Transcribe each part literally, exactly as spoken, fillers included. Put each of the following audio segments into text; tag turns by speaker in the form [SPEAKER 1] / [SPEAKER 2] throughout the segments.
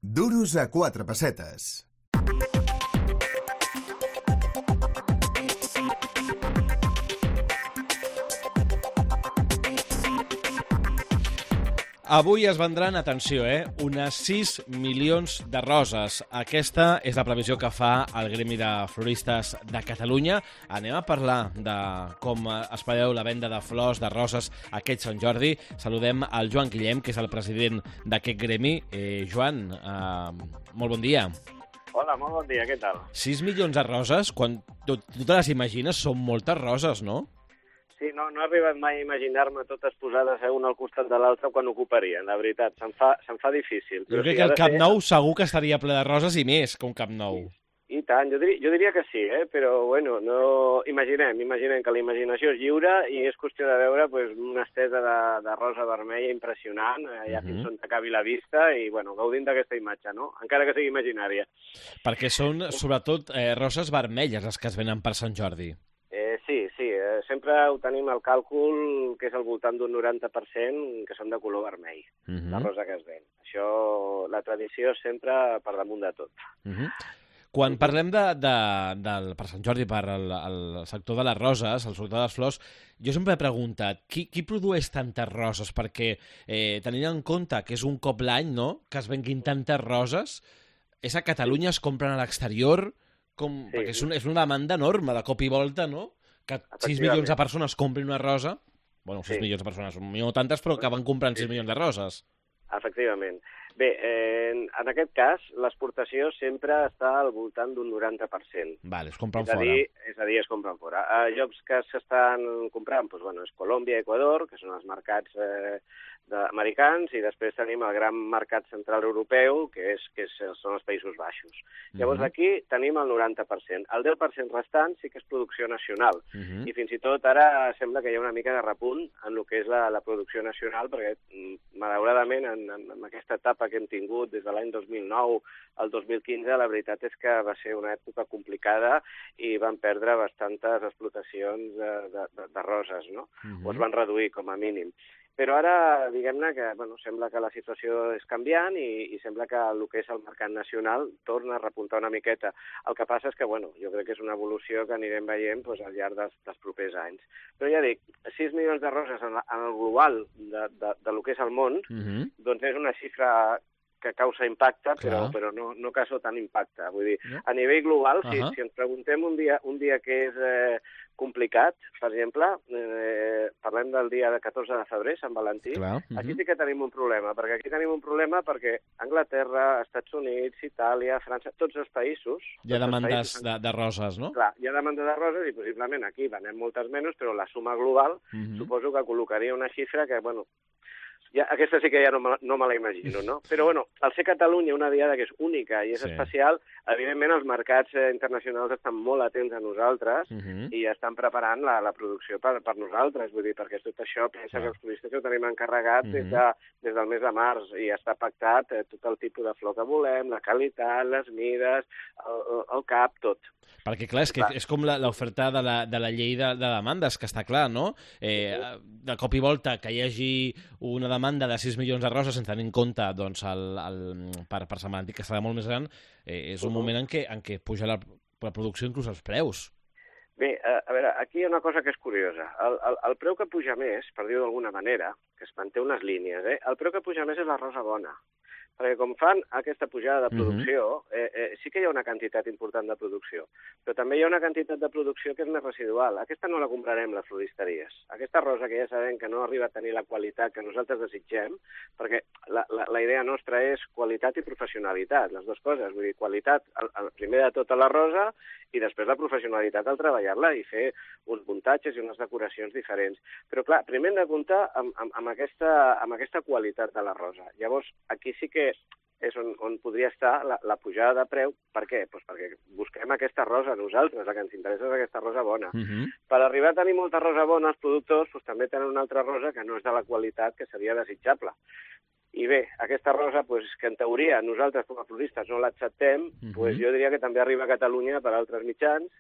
[SPEAKER 1] Duros a quatre pessetes.
[SPEAKER 2] Avui es vendran, atenció, eh, unes sis milions de roses. Aquesta és la previsió que fa el Gremi de Floristes de Catalunya. Anem a parlar de com es preveu la venda de flors, de roses, aquest Sant Jordi. Saludem al Joan Guillem, que és el president d'aquest gremi. Eh, Joan, eh, molt bon dia.
[SPEAKER 3] Hola, molt bon dia, què tal?
[SPEAKER 2] sis milions de roses, quan tu, tu te les imagines, són moltes roses, no?
[SPEAKER 3] Sí, no, no he arribat mai a imaginar-me totes posades una al costat de l'altra quan ocuparien, la veritat. Se'm fa, se'm fa difícil.
[SPEAKER 2] Jo crec que el Camp Nou segur que estaria ple de roses i més que un Camp Nou.
[SPEAKER 3] I, i tant, jo diria, jo diria que sí, eh? Però bueno, no... imaginem, imaginem que la imaginació és lliure i és qüestió de veure pues, una estesa de, de rosa vermella impressionant, allà uh -huh. fins on t'acabi la vista i bueno, gaudint d'aquesta imatge, no? Encara que sigui imaginària.
[SPEAKER 2] Perquè són sobretot eh, roses vermelles les que es venen per Sant Jordi.
[SPEAKER 3] Eh, sí, sí, eh, sempre ho tenim al càlcul que és al voltant d'un noranta per cent que són de color vermell, uh -huh. la rosa que es ven. Això, la tradició sempre per damunt de tot.
[SPEAKER 2] Uh -huh. Quan parlem de, de, de, per Sant Jordi, per el, el sector de les roses, el sector de les flors, jo sempre he preguntat, qui, qui produeix tantes roses? Perquè eh, tenint en compte que és un cop l'any, no?, que es venguin tantes roses, és a Catalunya, es compren a l'exterior... Com, sí. Perquè és, un, és una demanda enorme, de cop i volta, no? Que sis milions de persones comprin una rosa... Bueno, sis sí. milions de persones, no tantes, però que van comprant sis milions de roses.
[SPEAKER 3] Efectivament. Bé, eh, en aquest cas, l'exportació sempre està al voltant d'un noranta per cent.
[SPEAKER 2] Vale, es compren
[SPEAKER 3] és a
[SPEAKER 2] fora.
[SPEAKER 3] Dir, és a dir, es compren fora. A llocs que s'estan comprant, doncs, bueno, és Colòmbia i Equador, que són els mercats eh, americans, i després tenim el gran mercat central europeu, que, és, que és, són els Països Baixos. Llavors, uh -huh. aquí tenim el noranta per cent. El deu per cent restant sí que és producció nacional. Uh -huh. I fins i tot ara sembla que hi ha una mica de repunt en el que és la, la producció nacional, perquè, malauradament, en, en, en aquesta etapa que hem tingut des de l'any dos mil nou al dos mil quinze, la veritat és que va ser una època complicada i van perdre bastantes explotacions de, de, de, de roses, no? Uh -huh. O es van reduir, com a mínim. Però ara, diguem-ne que bueno, sembla que la situació és canviant i, i sembla que el que és el mercat nacional torna a repuntar una miqueta. El que passa és que, bueno, jo crec que és una evolució que anirem veient doncs, al llarg dels, dels propers anys. Però ja dic, sis milions de roses en, la, en el global de, de, de lo que és el món, uh -huh. doncs és una xifra que causa impacte, però, però no, no causa tant impacte. Vull dir, no? A nivell global, uh -huh. si, si ens preguntem un dia, un dia que és eh, complicat, per exemple, eh, parlem del dia de catorze de febrer, Sant Valentí, clar, uh -huh. aquí sí que tenim un problema, perquè aquí tenim un problema perquè Anglaterra, Estats Units, Itàlia, França, tots els països...
[SPEAKER 2] Hi ha demandes països, de, de roses, no?
[SPEAKER 3] Clar, hi ha demandes de roses i possiblement aquí venem moltes menys, però la suma global uh -huh. suposo que col·locaria una xifra que, bueno, ja, aquesta sí que ja no me, no me la imagino, no? Però, bueno, al ser Catalunya una diada que és única i és sí. especial, evidentment els mercats eh, internacionals estan molt atents a nosaltres uh -huh. i estan preparant la, la producció per, per nosaltres, vull dir, perquè tot això pensa ah. que els turistes ho tenim encarregat uh -huh. des, de, des del mes de març i està pactat eh, tot el tipus de flor que volem, la qualitat, les mides, el, el cap, tot.
[SPEAKER 2] Perquè, clar, és, que és com l'oferta de, la, de la llei de, de demandes, que està clar, no? Eh, de cop i volta que hi hagi una demanda de sis milions de roses sense tenir en compte doncs, el, el, per, per Sant Valentí, que serà molt més gran, eh, és un uh -huh. moment en què, en què puja la, la producció, inclús els preus.
[SPEAKER 3] Bé, a, a veure, aquí hi ha una cosa que és curiosa. El, el, el preu que puja més, per dir-ho d'alguna manera, que es manté unes línies, eh? el preu que puja més és la rosa bona. Perquè com fan aquesta pujada de producció, uh-huh. eh, eh, sí que hi ha una quantitat important de producció, però també hi ha una quantitat de producció que és més residual. Aquesta no la comprarem les floristeries. Aquesta rosa que ja sabem que no arriba a tenir la qualitat que nosaltres desitgem, perquè la, la, la idea nostra és qualitat i professionalitat, les dues coses. Vull dir, qualitat, el, el, primer de tot a la rosa, i després la professionalitat al treballar-la i fer uns muntatges i unes decoracions diferents. Però, clar, primer hem de comptar amb, amb, amb, aquesta, amb aquesta qualitat de la rosa. Llavors, aquí sí que és on, on podria estar la, la pujada de preu. Per què? Pues perquè busquem aquesta rosa nosaltres, la que ens interessa és aquesta rosa bona. Uh -huh. Per arribar a tenir molta rosa bona, els productors pues, també tenen una altra rosa que no és de la qualitat que seria desitjable. I bé, aquesta rosa, pues, que en teoria nosaltres com a floristes no l'acceptem, uh -huh. pues, jo diria que també arriba a Catalunya per altres mitjans,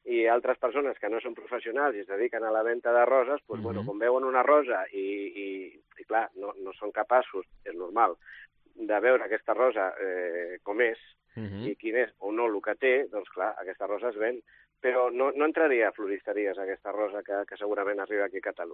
[SPEAKER 3] i altres persones que no són professionals i es dediquen a la venda de roses, pues, uh -huh. bueno, com veuen una rosa i, i, i clar, no, no són capaços, és normal, de veure aquesta rosa eh, com és,
[SPEAKER 2] Uh -huh.
[SPEAKER 3] i quin és o no el que té, doncs clar, aquesta rosa es ven. Però no, no entraria a floristeries aquesta rosa que, que segurament arriba aquí a Catalunya.